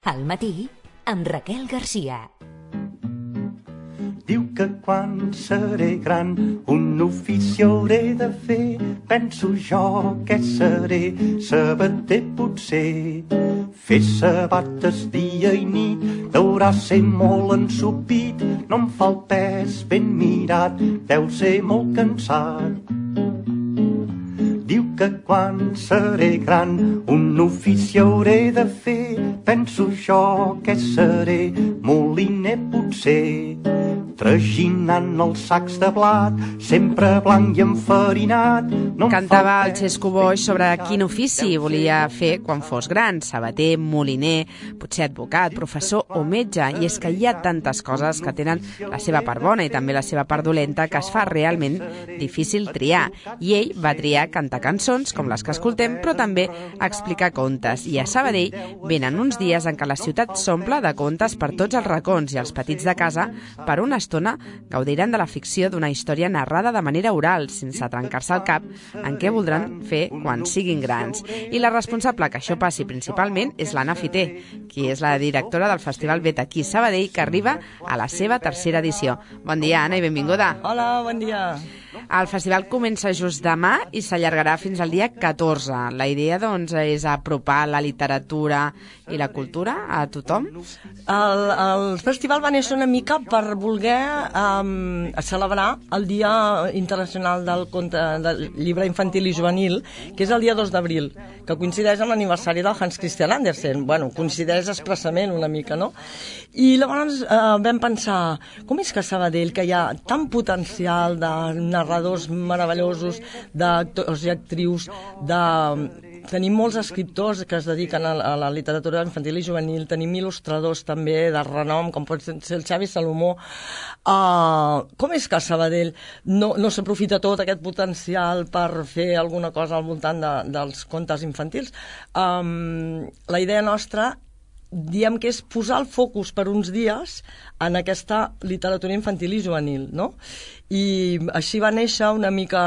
Al matí, amb Raquel Garcia. Diu que quan seré gran un ofici hauré de fer. Penso jo que seré sabater potser. Fer sabates dia i nit deurà ser molt ensopit. No em fa el pes ben mirat, deu ser molt cansat. Diu que quan seré gran un ofici hauré de fer. Penso jo que seré moliner potser. Traginant els sacs de blat, sempre blanc i enfarinat. Cantava el Xesco Boix sobre quin ofici volia fer quan fos gran, sabater, moliner, potser advocat, professor o metge. I és que hi ha tantes coses que tenen la seva part bona i també la seva part dolenta que es fa realment difícil triar. I ell va triar cantar cançons, com les que escoltem, però també explicar contes. I a Sabadell venen uns dies en què la ciutat s'omple de contes per tots els racons i els petits de casa per una estona gaudiran de la ficció d'una història narrada de manera oral, sense trencar-se el cap en què voldran fer quan siguin grans. I la responsable que això passi principalment és l'Anna Fiter, qui és la directora del Festival Vet aquí a Sabadell, que arriba a la seva tercera edició. Bon dia, Anna, i benvinguda. Hola, bon dia. El festival comença just demà i s'allargarà fins al dia 14. La idea, doncs, és apropar la literatura i la cultura a tothom? El festival va néixer una mica per voler celebrar el Dia Internacional del Llibre Infantil i Juvenil, que és el dia 2 d'abril, que coincideix amb l'aniversari del Hans Christian Andersen. Bueno, coincideix expressament una mica, no? I llavors vam pensar, com és que a Sabadell, que hi ha tant potencial de narradors meravellosos, d'actors i actrius, tenim molts escriptors que es dediquen a la literatura infantil i juvenil, tenim il·lustradors també de renom, com pot ser el Xavi Salomó. Com és que a Sabadell no s'aprofita tot aquest potencial per fer alguna cosa al voltant dels contes infantils? La idea nostra, diem que és posar el focus per uns dies en aquesta literatura infantil i juvenil, no? I així va néixer una mica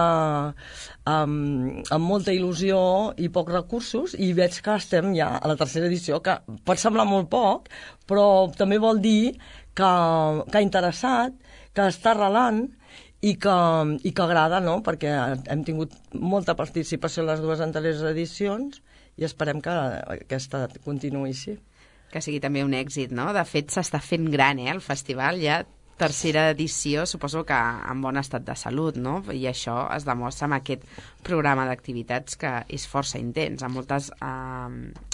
amb molta il·lusió i pocs recursos, i veig que estem ja a la tercera edició, que pot semblar molt poc, però també vol dir que ha interessat, que està arrelant i que agrada, no? Perquè hem tingut molta participació en les dues anteriors edicions i esperem que aquesta continuï així. Que sigui també un èxit, no? De fet, s'està fent gran, el festival, ja tercera edició, suposo que en bon estat de salut, no? I això es demostra amb aquest programa d'activitats que és força intens, amb moltes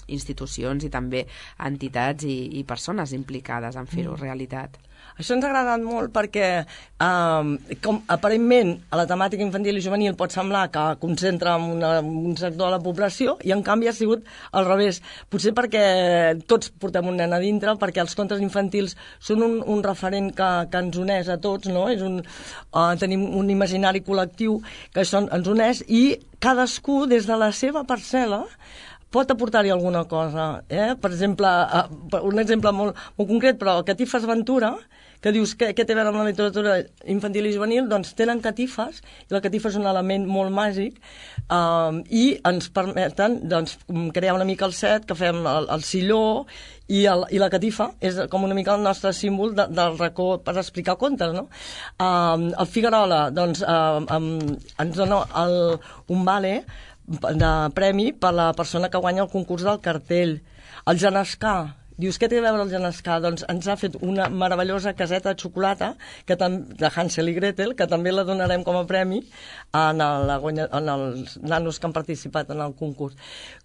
institucions i també entitats i persones implicades en fer-ho realitat. Això ens ha agradat molt perquè, com aparentment, a la temàtica infantil i juvenil pot semblar que concentra un sector de la població, i en canvi ha sigut al revés. Potser perquè tots portem un nen a dintre, perquè els contes infantils són un referent que ens uneix a tots, no? Tenim un imaginari col·lectiu que ens uneix, i cadascú, des de la seva parcel·la, pot aportar-hi alguna cosa. Per exemple, un exemple molt concret, però Catifes Ventura, que dius què té a veure amb la literatura infantil i juvenil, doncs tenen catifes, i la catifa és un element molt màgic, i ens permeten crear una mica el set, que fem el silló, i la catifa és com una mica el nostre símbol del racó per explicar contes, no? El Figuerola ens dona un vale de premi per la persona que guanya el concurs del cartell. El Genescà, dius, què té a veure el Genescà? Doncs ens ha fet una meravellosa caseta de xocolata de Hansel i Gretel, que també la donarem com a premi en els nanos que han participat en el concurs.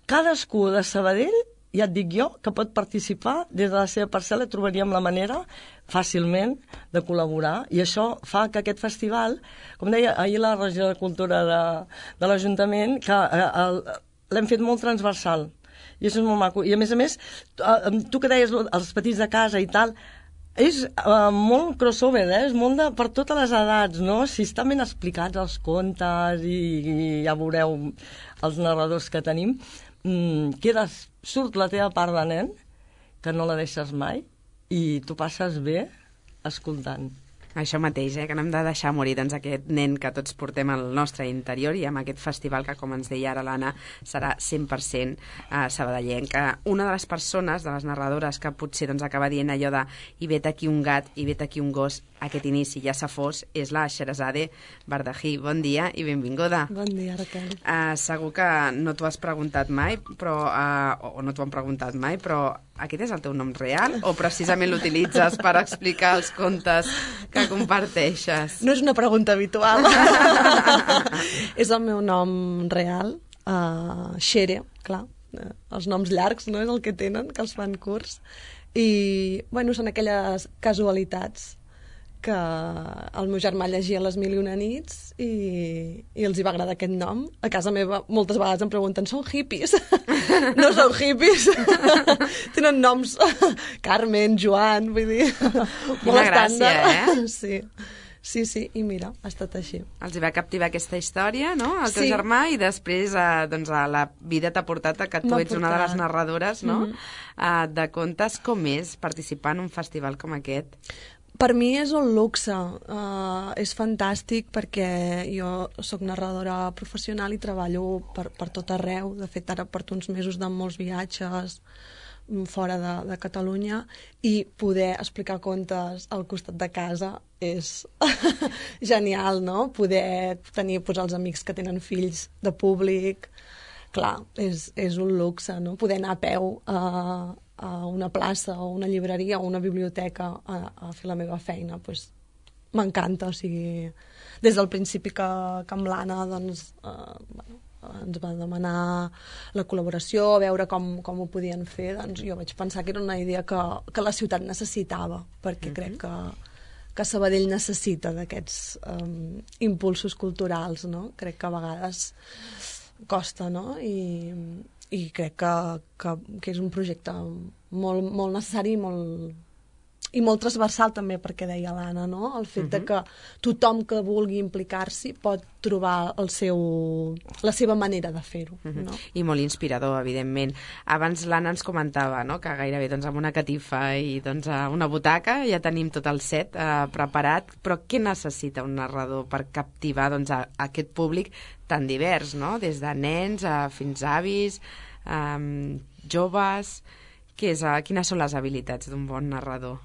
Cadascú de Sabadell, ja et dic jo, que pot participar des de la seva parcel·la, trobaríem la manera fàcilment de col·laborar, i això fa que aquest festival, com deia ahir la regió de cultura de l'Ajuntament, que l'hem fet molt transversal, i això és molt maco. I a més, tu que deies els petits de casa i tal, és molt crossover, és molt per totes les edats, no? Si estan ben explicats els contes, i ja veureu els narradors que tenim, surt la teva part de nen, que no la deixes mai, i tu passes bé escoltant. Això mateix, que no hem de deixar morir doncs, aquest nen que tots portem al nostre interior i amb aquest festival que, com ens deia ara l'Anna, serà 100% sabadellenca. Una de les persones, de les narradores, que potser doncs, acaba dient allò de i vet aquí un gat, i vet aquí un gos, aquest inici ja s'ha fos, és la Sherazade Bardahi. Bon dia i benvinguda. Bon dia, Raquel. Segur que no t'ho has preguntat mai, però, o no t'ho han preguntat mai, però aquest és el teu nom real o precisament l'utilitzes per explicar els contes que comparteixes? No és una pregunta habitual. És el meu nom real, Shere, clar. Els noms llargs no és el que tenen, que els fan curts. I, bueno, són aquelles casualitats que el meu germà llegia Les mil i una nits i els hi va agradar aquest nom. A casa meva moltes vegades em pregunten, són hippies? No són hippies. Tenen noms Carmen, Joan, vull dir... Quina gràcia, Sí, i mira, ha estat així. Els hi va captivar aquesta història, no?, el teu germà, i després doncs, la vida t'ha portat a que tu ets una de les narradores, no?, de contes. Com és participar en un festival com aquest? Per mi és un luxe, és fantàstic perquè jo sóc narradora professional i treballo per tot arreu. De fet, ara porto uns mesos de molts viatges fora de Catalunya i poder explicar contes al costat de casa és genial, no? Poder tenir els amics que tenen fills de públic, clar, és un luxe, no? Poder anar a peu a una plaça o una llibreria o una biblioteca a fer la meva feina, doncs m'encanta, o sigui, des del principi que amb l'Anna doncs, ens va demanar la col·laboració, a veure com ho podien fer, doncs jo vaig pensar que era una idea que la ciutat necessitava, perquè crec que Sabadell necessita d'aquests impulsos culturals, no? Crec que a vegades costa, no? I crec que és un projecte molt necessari i molt transversal també, perquè deia l'Anna, no? El fet de que tothom que vulgui implicar-s'hi pot trobar la seva manera de fer-ho, no? I molt inspirador, evidentment. Abans l'Anna ens comentava, no?, que gairebé doncs, amb una catifa i doncs, una butaca ja tenim tot el set preparat, però què necessita un narrador per captivar doncs, aquest públic tan divers, no?, des de nens fins a avis, joves... Quines són les habilitats d'un bon narrador?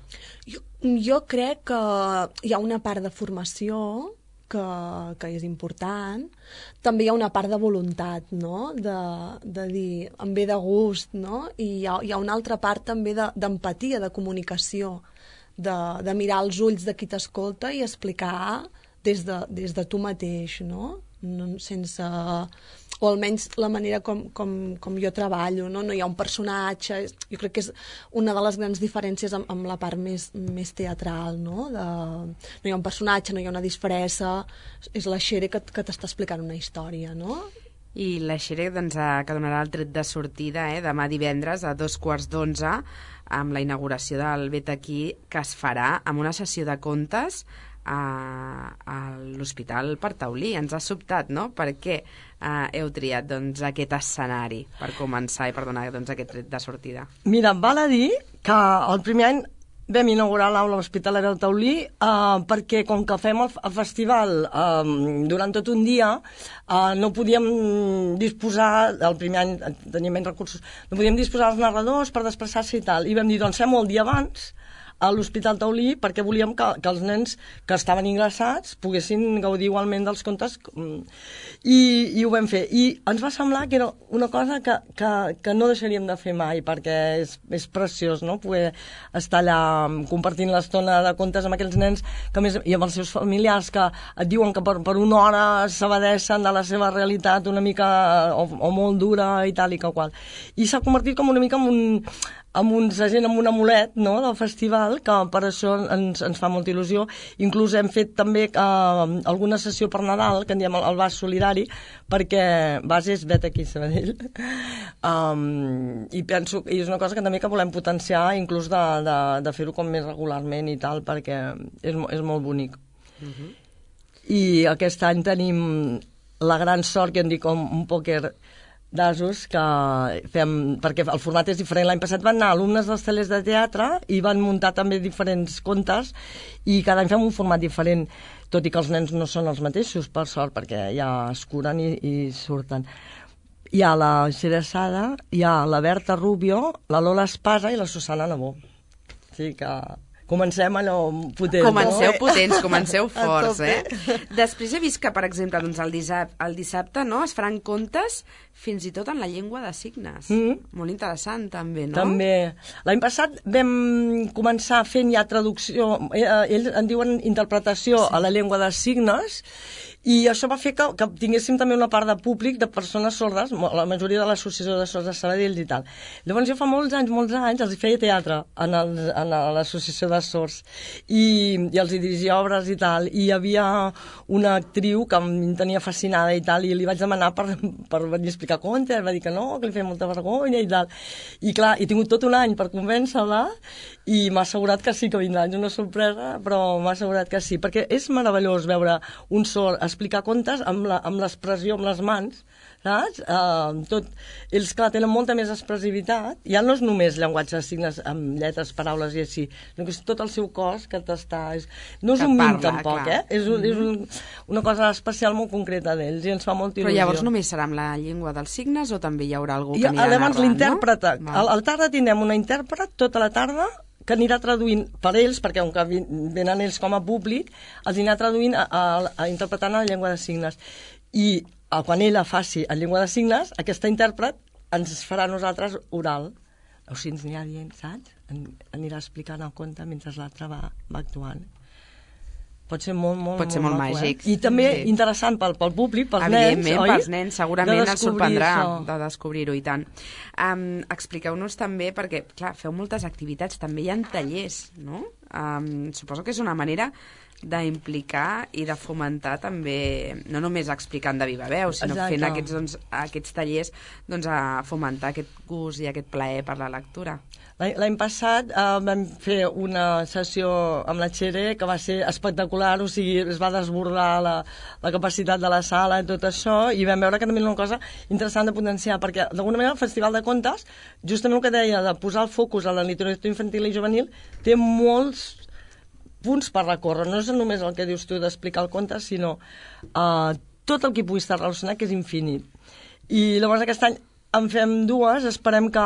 Jo crec que hi ha una part de formació que és important. També hi ha una part de voluntat, no? De dir, em ve de gust, no? I hi ha una altra part també d'empatia, de comunicació, de mirar als ulls de qui t'escolta i explicar des de tu mateix, no? Sense... o almenys la manera com jo treballo, no? No hi ha un personatge, jo crec que és una de les grans diferències amb la part més teatral, no? No hi ha un personatge, no hi ha una disfressa, és la Shere que t'està explicant una història, no? I la Shere doncs, que donarà el tret de sortida demà divendres a 2:15 amb la inauguració del Vet Aquí, que es farà amb una sessió de contes a l'Hospital per Taulí. Ens ha sobtat, no?, per què heu triat doncs, aquest escenari per començar i per donar doncs, aquest tret de sortida. Mira, val a dir que el primer any vam inaugurar l'aula hospitalera del Taulí perquè com que fem el festival durant tot un dia no podíem disposar, el primer any teníem menys recursos, no podíem disposar dels narradors per desplaçar-se i tal, i vam dir, doncs fem-ho el dia abans a l'Hospital Taulí perquè volíem que els nens que estaven ingressats poguessin gaudir igualment dels contes i ho vam fer. I ens va semblar que era una cosa que no deixaríem de fer mai perquè és preciós, no?, poder estar allà compartint l'estona de contes amb aquells nens que més, i amb els seus familiars que et diuen que per una hora s'abadessen de la seva realitat una mica o molt dura i tal i que qual. I s'ha convertit com una mica amb un amulet, no?, del festival, que per això ens fa molta il·lusió. Inclús hem fet també alguna sessió per Nadal, que en diem el Vas Solidari, perquè Vas és Vet Aquí, Sabadell. I penso que és una cosa que també que volem potenciar, inclús de fer-ho com més regularment i tal, perquè és molt bonic. I aquest any tenim la gran sort, que en dic un pòquer d'asos que fem, perquè el format és diferent. L'any passat van anar alumnes dels tallers de teatre i van muntar també diferents contes i cada any fem un format diferent, tot i que els nens no són els mateixos, per sort, perquè ja es curen i surten. Hi ha la Xera Sada, hi ha la Berta Rubio, la Lola Espasa i la Susana Nabó. O sigui que comencem allò potents. Comenceu no? potents, comenceu forts, Després he vist que, per exemple, doncs el dissabte no, es faran contes fins i tot en la llengua de signes. Molt interessant, també, no? També. L'any passat vam començar fent ja traducció, ells en diuen interpretació a la llengua de signes, i això va fer que tinguéssim també una part de públic de persones sordes, la majoria de l'associació de sords de Sabadell i tal. Llavors jo fa molts anys els feia teatre a l'associació de sords i els dirigia obres i tal, i hi havia una actriu que em tenia fascinada i tal, i li vaig demanar per venir a explicar contes, va dir que no, que li feia molta vergonya i tal. I clar, he tingut tot un any per convèncer-la i m'ha assegurat que sí que vindrà, és una sorpresa, però m'ha assegurat que sí, perquè és meravellós veure un sord explicar contes amb l'expressió, amb les mans, saps? Ells, clar, tenen molta més expressivitat, ja no és només llenguatge de signes amb lletres, paraules i així, sinó que és tot el seu cos que t'està... No és un mim, tampoc, clar. És una cosa especial molt concreta d'ells i ens fa molta il·lusió. Però llavors només serà amb la llengua dels signes o també hi haurà algú que anirà narrant, no? L'intèrprete. A la tarda tindrem una intèrpret tota la tarda que anirà traduint per ells, perquè com que venen ells com a públic, els anirà traduint interpretant en la llengua de signes. I quan ella faci en llengua de signes, aquesta intèrpret ens farà a nosaltres oral. O sigui, ens anirà dient, saps? Anirà explicant el conte mentre l'altre va actuant. Pot ser molt màgic. I també interessant pel públic, pels nens, evidentment, oi? pels nens, segurament els sorprendrà de descobrir-ho, i tant. Expliqueu-nos també, perquè, clar, feu moltes activitats, també hi ha tallers, no? Suposo que és una manera d'implicar i de fomentar també, no només explicant de viva veu, sinó fent aquests tallers a fomentar aquest gust i aquest plaer per la lectura. L'any passat vam fer una sessió amb la Xere que va ser espectacular, o sigui, es va desbordar la capacitat de la sala i tot això, i vam veure que també era una cosa interessant de potenciar, perquè d'alguna manera el Festival de Contes, justament el que deia de posar el focus a la literatura infantil i juvenil, té molts punts per recórrer, no és només el que dius tu d'explicar el conte, sinó tot el que pugui estar relacionat, que és infinit. I llavors aquest any en fem dues, esperem que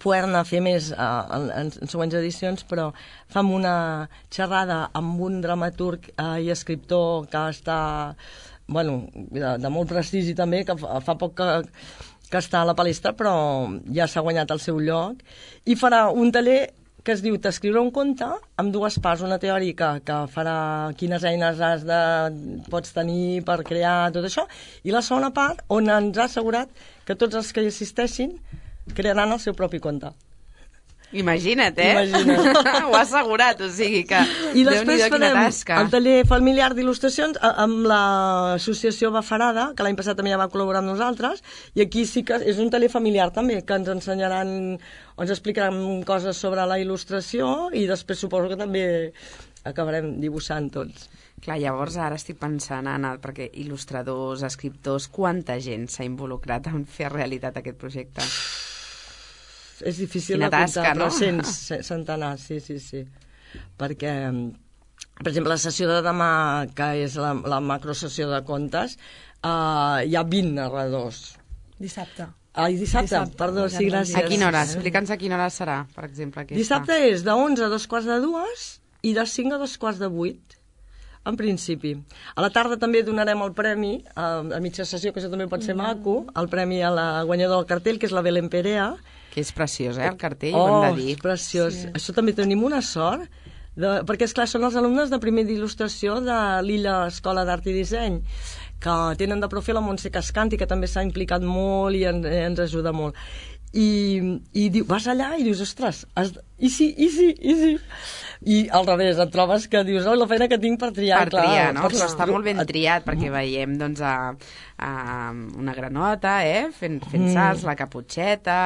poder-ne fer més en següents edicions, però fem una xerrada amb un dramaturg i escriptor que està de molt prestigi també, que fa poc que està a la palestra, però ja s'ha guanyat el seu lloc, i farà un taller que es diu T'escriure un conte, amb dues parts, una teòrica que farà quines eines pots tenir per crear tot això, i la segona part on ens ha assegurat que tots els que hi assisteixin crearan el seu propi conte. Imagina't, Imagina't. Ho ha assegurat, o sigui que... I després farem el taller familiar d'il·lustracions amb l'associació Bafarada, que l'any passat també ja va col·laborar amb nosaltres, i aquí sí que és un taller familiar també, que ens ensenyaran, ens explicaran coses sobre la il·lustració, i després suposo que també acabarem dibuixant tots. Clar, llavors ara estic pensant, Anna, perquè il·lustradors, escriptors, quanta gent s'ha involucrat en fer realitat aquest projecte? És difícil de comptar, però centenars, sí. Perquè, per exemple, la sessió de demà, que és la macrosessió de contes, hi ha 20 narradors. Dissabte. Dissabte, perdó, sí, gràcies. A quina hora? Explica'ns a quina hora serà, per exemple, aquesta. Dissabte és de 11 a 2:45 i de 5 a 2:45. En principi. A la tarda també donarem el premi, a mitja sessió, que això també pot ser maco, el premi a la guanyadora del cartell, que és la Belén Perea. Que és preciós, el cartell, ho hem de dir. És preciós. Sí. Això també tenim una sort, perquè, esclar, són els alumnes de primer d'il·lustració de l'Illa Escola d'Art i Disseny, que tenen de profe la Montse Cascanti, que també s'ha implicat molt i ens ajuda molt. I vas allà i dius, ostres, i sí. I al revés, et trobes que dius, la feina que tinc per triar. Per triar, no? Però està molt ben triat, perquè veiem, doncs, una granota, fent salts, la caputxeta,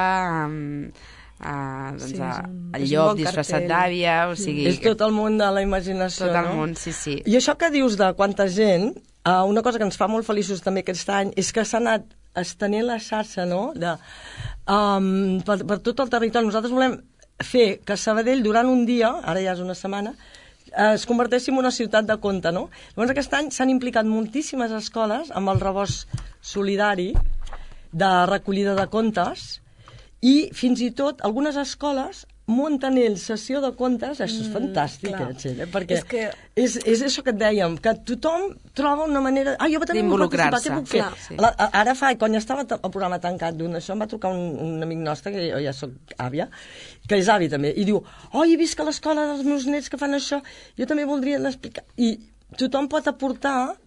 el llop disfressat d'àvia, o sigui... És tot el món de la imaginació, no? Tot el món, sí. I això que dius de quanta gent, una cosa que ens fa molt feliços també aquest any és que s'ha anat estenent la xarxa, no?, per tot el territori. Nosaltres volem fer que Sabadell, durant un dia, ara ja és una setmana, es converteixi en una ciutat de conte, no? Llavors aquest any s'han implicat moltíssimes escoles amb el rebost solidari de recollida de contes i fins i tot algunes escoles munten ells sessió de contes. Això és fantàstic, Txell, perquè és això que et dèiem, que tothom troba una manera... Jo també vull participar, què puc fer? Sí. Ara quan ja estava el programa tancat d'un això, em va trucar un amic nostre, que jo ja soc àvia, que és avi també, i diu, he vist que a l'escola dels meus nets que fan això, jo també voldria explicar. I tothom pot aportar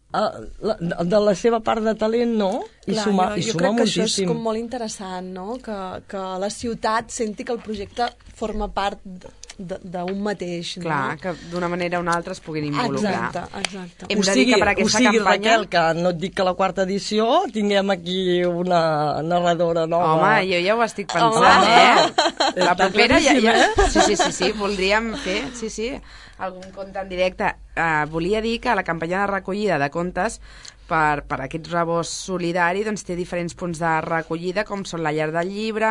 de la seva part de talent, no? I suma moltíssim. Jo crec que això és com molt interessant, no? Que la ciutat senti que el projecte forma part d'un mateix, no? Clar, que d'una manera o una altra es puguin involucrar. Exacte. Hem de dir que per aquesta campanya... Raquel, que no et dic que la quarta edició tinguem aquí una narradora nova. Home, jo ja ho estic pensant, La propera Sí, voldríem fer, algun conte en directe. Volia dir que la campanya de recollida de contes per aquest rebost solidari doncs, té diferents punts de recollida, com són la Llar del Llibre,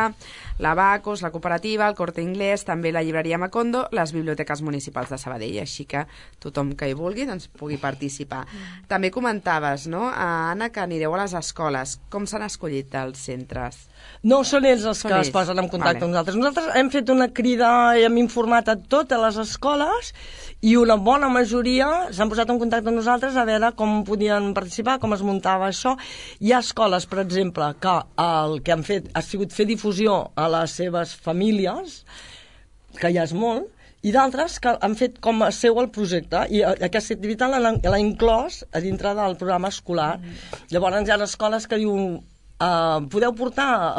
la Bacus, la Cooperativa, el Corte Inglés, també la Llibreria Macondo, les biblioteques municipals de Sabadell, així que tothom que hi vulgui doncs, pugui participar. També comentaves, no, Anna, que anireu a les escoles. Com s'han escollit els centres? No, són ells els que es posen en contacte amb nosaltres. Nosaltres hem fet una crida i hem informat a totes les escoles i una bona majoria s'han posat en contacte amb nosaltres a veure com podien participar, com es muntava això. Hi ha escoles, per exemple, que el que han fet ha sigut fer difusió a les seves famílies, que ja és molt, i d'altres que han fet com a seu el projecte, i aquesta activitat l'ha inclòs a dintre del programa escolar. Llavors hi ha escoles que diuen podeu portar,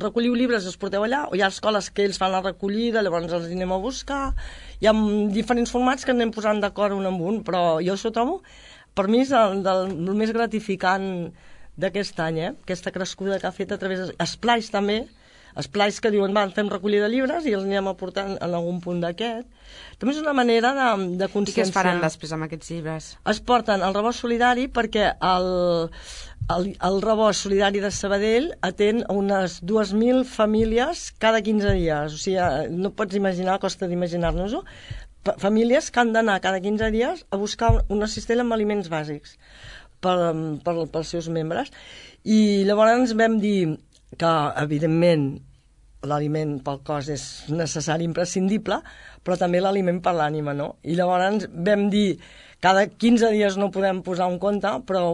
recolliu llibres i els porteu allà, o hi ha escoles que ells fan la recollida, llavors els anem a buscar. Hi ha diferents formats que anem posant d'acord un amb un, però jo això trobo, per mi és el més gratificant d'aquest any, aquesta crescuda que ha fet a través d'esplais també, esplais que diuen, fem recollida de llibres i els anem aportant en algun punt d'aquest. També és una manera de conscienciar. I què es faran després amb aquests llibres? Es porten al rebost solidari perquè el rebost solidari de Sabadell atén unes 2.000 famílies cada 15 dies. O sigui, no pots imaginar, costa d'imaginar-nos-ho, famílies que han d'anar cada 15 dies a buscar una cistella amb aliments bàsics pels seus membres. I llavors vam dir que, evidentment, l'aliment pel cos és necessari, imprescindible, però també l'aliment per l'ànima, no? I llavors vam dir, cada 15 dies no podem posar un conte, però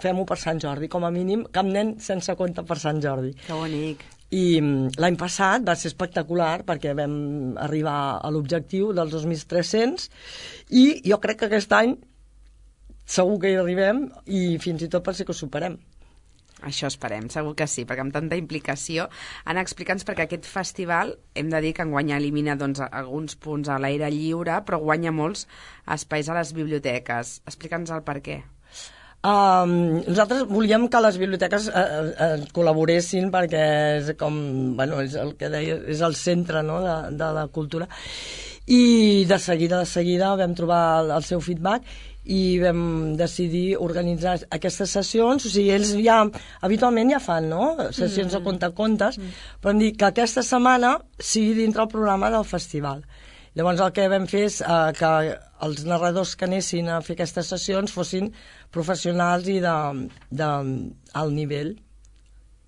fem-ho per Sant Jordi, com a mínim, cap nen sense conte per Sant Jordi. Que bonic. I l'any passat va ser espectacular perquè vam arribar a l'objectiu dels 2.300 i jo crec que aquest any segur que hi arribem i fins i tot pot ser que ho superem. Això esperem, segur que sí, perquè amb tanta implicació. Anna, explica'ns, perquè aquest festival, hem de dir que enguany elimina alguns punts a l'aire lliure, però guanya molts espais a les biblioteques. Explica'ns el per què. Nosaltres volíem que les biblioteques col·laboressin perquè és com, és el que deia, és el centre, no, de la cultura. I de seguida vam trobar el seu feedback i vam decidir organitzar aquestes sessions. O sigui, ells ja habitualment ja fan, no?, sessions de contes, però hem dit que aquesta setmana sigui dintre el programa del festival. Llavors el que vam fer és que els narradors que anessin a fer aquestes sessions fossin professionals i d'alt nivell.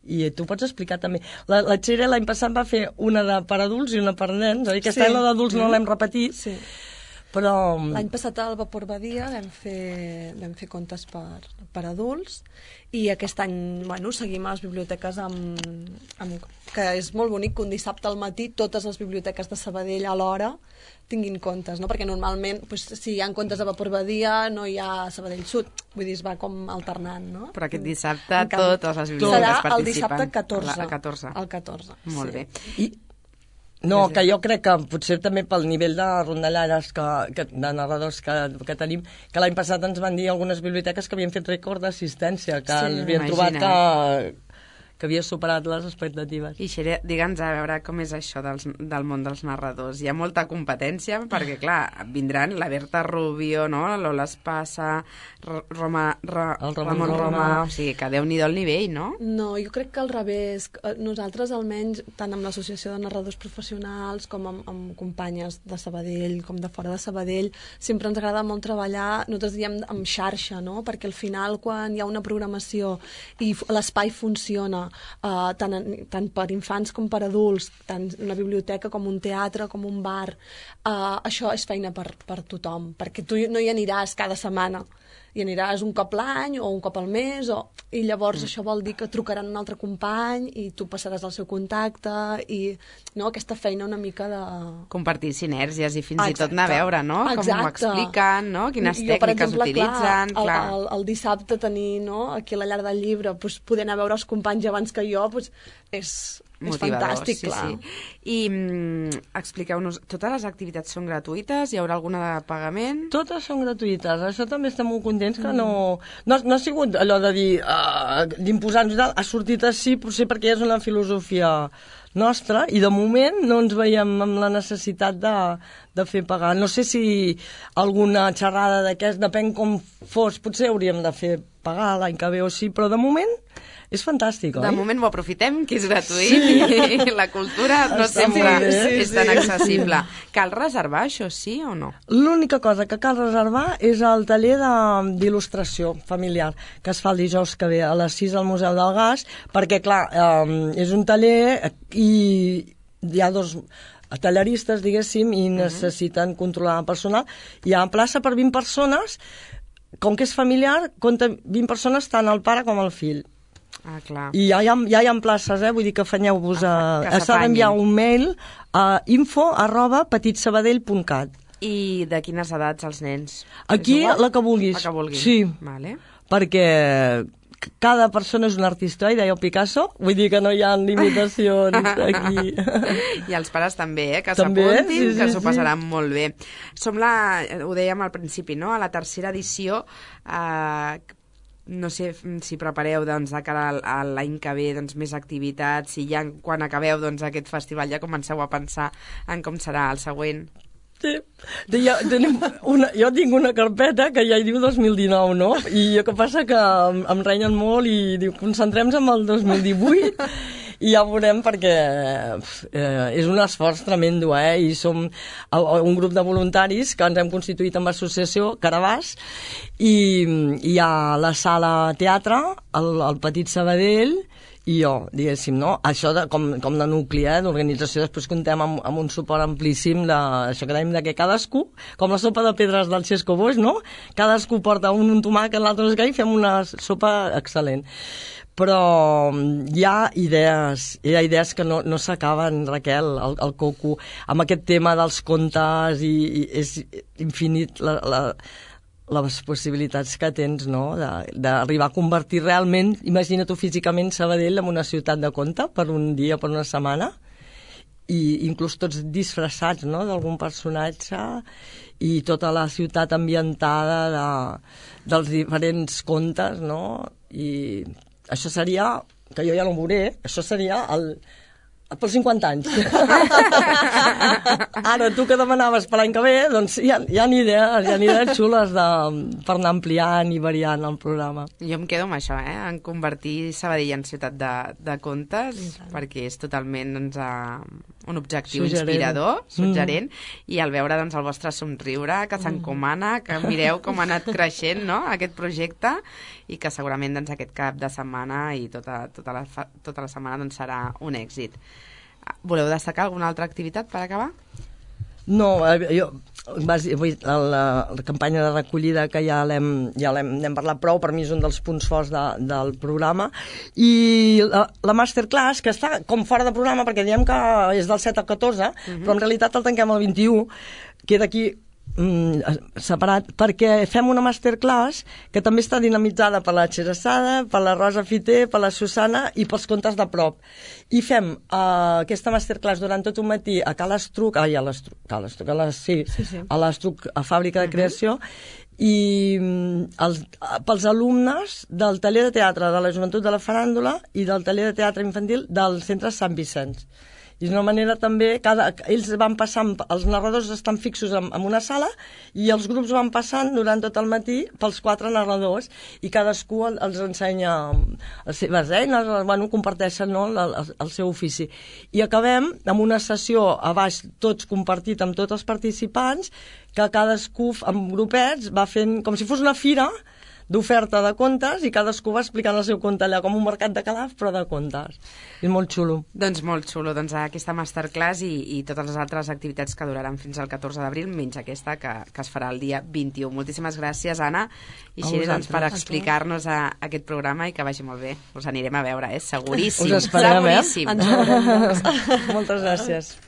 I tu pots explicar també. La Txell l'any passat va fer una per adults i una per nens, aquest any la d'adults no l'hem repetit, però... L'any passat al Vapor Badia vam fer contes per adults i aquest any seguim a les biblioteques que és molt bonic que un dissabte al matí totes les biblioteques de Sabadell alhora tinguin contes, no? Perquè normalment si hi ha contes a Vapor Badia no hi ha a Sabadell Sud, vull dir, es va com alternant, no? Però aquest dissabte totes les biblioteques participen. Serà el dissabte 14. El 14. Molt bé. No, que jo crec que potser també pel nivell de rondalleres de narradors que tenim, que l'any passat ens van dir algunes biblioteques que havien fet rècord d'assistència, que havien trobat que havia superat les expectatives. I Xere, digue'ns a veure com és això del món dels narradors. Hi ha molta competència, perquè, clar, vindran la Berta Rubio, no? Lola Espasa, Ramon Roma... O sigui, que Déu-n'hi-do el nivell, no? No, jo crec que al revés. Nosaltres, almenys, tant amb l'Associació de Narradors Professionals com amb companyes de Sabadell, com de fora de Sabadell, sempre ens agrada molt treballar, nosaltres diem amb xarxa, no? Perquè al final, quan hi ha una programació i l'espai funciona, tant per infants com per adults, tant una biblioteca com un teatre, com un bar, això és feina per tothom, perquè tu no hi aniràs cada setmana, hi aniràs un cop l'any o un cop al mes, i llavors això vol dir que trucaran un altre company i tu passaràs el seu contacte, i aquesta feina una mica de... Compartir sinergies i fins i tot anar a veure, no? Com ho expliquen, no? Quines tècniques utilitzen... Clar, el dissabte tenir aquí a la llar del llibre, poder anar a veure els companys abans que jo, és fantàstic, clar. I expliqueu-nos, totes les activitats són gratuïtes? Hi haurà alguna de pagament? Totes són gratuïtes, això també estem molt contents que no ha sigut allò de dir d'imposar-nos i tal, ha sortit així potser perquè és una filosofia nostra i de moment no ens veiem amb la necessitat de fer pagar. No sé si alguna xerrada d'aquest, depèn com fos, potser hauríem de fer pagar l'any que ve o sí, però de moment és fantàstic, oi? De moment ho aprofitem, que és gratuït, i la cultura no sempre és tan accessible. Cal reservar això, sí o no? L'única cosa que cal reservar és el taller d'il·lustració familiar, que es fa el dijous que ve a les 6 al Museu del Gas, perquè, clar, és un taller i hi ha dos talleristes, diguéssim, i necessiten controlar el personal. Hi ha plaça per 20 persones, com que és familiar, compta 20 persones tant el pare com el fill. Ah, clar. I ja hi ha places, vull dir que afanyeu-vos s'ha d'enviar un mail a info@petitsabadell.cat. I de quines edats els nens? Aquí la que vulguis. La que vulguis. Sí, vale. Perquè cada persona és un artista, i deia Picasso, vull dir que no hi ha limitacions aquí. I els pares també, que s'apuntin, que s'ho passaran molt bé. Som ho dèiem al principi, no? A la tercera edició, no sé si prepareu de cara a l'any que ve més activitats, si ja quan acabeu aquest festival ja comenceu a pensar en com serà el següent. Sí. Jo tinc una carpeta que ja hi diu 2019, no? I el que passa que em renyen molt i diu, concentrem-nos en el 2018 i ja veurem, perquè és un esforç tremendo, i som un grup de voluntaris que ens hem constituït amb l'associació Carabàs, i hi ha la sala teatre, el Petit Sabadell, i jo, diguéssim, no? Això com de nucli, d'organització, després comptem amb un suport amplíssim això que dèiem que cadascú, com la sopa de pedres del Xesco Boix, no? Cadascú porta un tomàquet, l'altre no sé què, i fem una sopa excel·lent. Però hi ha idees que no s'acaben, Raquel, el coco, amb aquest tema dels contes, i és infinit les possibilitats que tens, no?, d'arribar a convertir realment, imagina't físicament, Sabadell en una ciutat de conte per un dia, per una setmana, i inclús tots disfressats, no?, d'algun personatge, i tota la ciutat ambientada dels diferents contes, no?, i això seria, que jo ja no ho veuré, això seria pels 50 anys. Ara, tu que demanaves per l'any que ve, doncs hi ha idees xules per anar ampliant i variant el programa. Jo em quedo amb això, en convertir Sabadell en ciutat de contes, perquè és totalment un objectiu inspirador, suggerent, i al veure el vostre somriure, que s'encomana, que mireu com ha anat creixent, no?, aquest projecte, i que segurament aquest cap de setmana i tota la setmana serà un èxit. Voleu destacar alguna altra activitat per acabar? No, la campanya de recollida que ja n'hem parlat prou, per mi és un dels punts forts del programa, i la masterclass, que està com fora de programa perquè diem que és del 7 al 14, però en realitat el tanquem el 21, queda aquí separat, perquè fem una masterclass que també està dinamitzada per la Xeressada, per la Rosa Fiter, per la Susana i pels contes de prop. I fem aquesta masterclass durant tot un matí a Cal Estruc, a l'Estruc, a Fàbrica de Creació, i pels alumnes del taller de teatre de la Joventut de la Faràndula i del taller de teatre infantil del Centre Sant Vicenç. I és una manera també, ells van passant, els narradors estan fixos en una sala i els grups van passant durant tot el matí pels 4 narradors i cadascú els ensenya les seves eines, comparteixen el seu ofici. I acabem amb una sessió a baix, tots compartit amb tots els participants, que cadascú, amb grupets, va fent com si fos una fira d'oferta de contes i cadascú va explicant el seu conte allà, com un mercat de Calaf, però de contes. És molt xulo. Doncs molt xulo, aquesta masterclass i totes les altres activitats que duraran fins al 14 d'abril, menys aquesta que es farà el dia 21. Moltíssimes gràcies, Anna i Xiri, per explicar-nos aquest programa i que vagi molt bé. Us anirem a veure, seguríssim. Us esperem, seguríssim. Ens veurem. Moltes gràcies.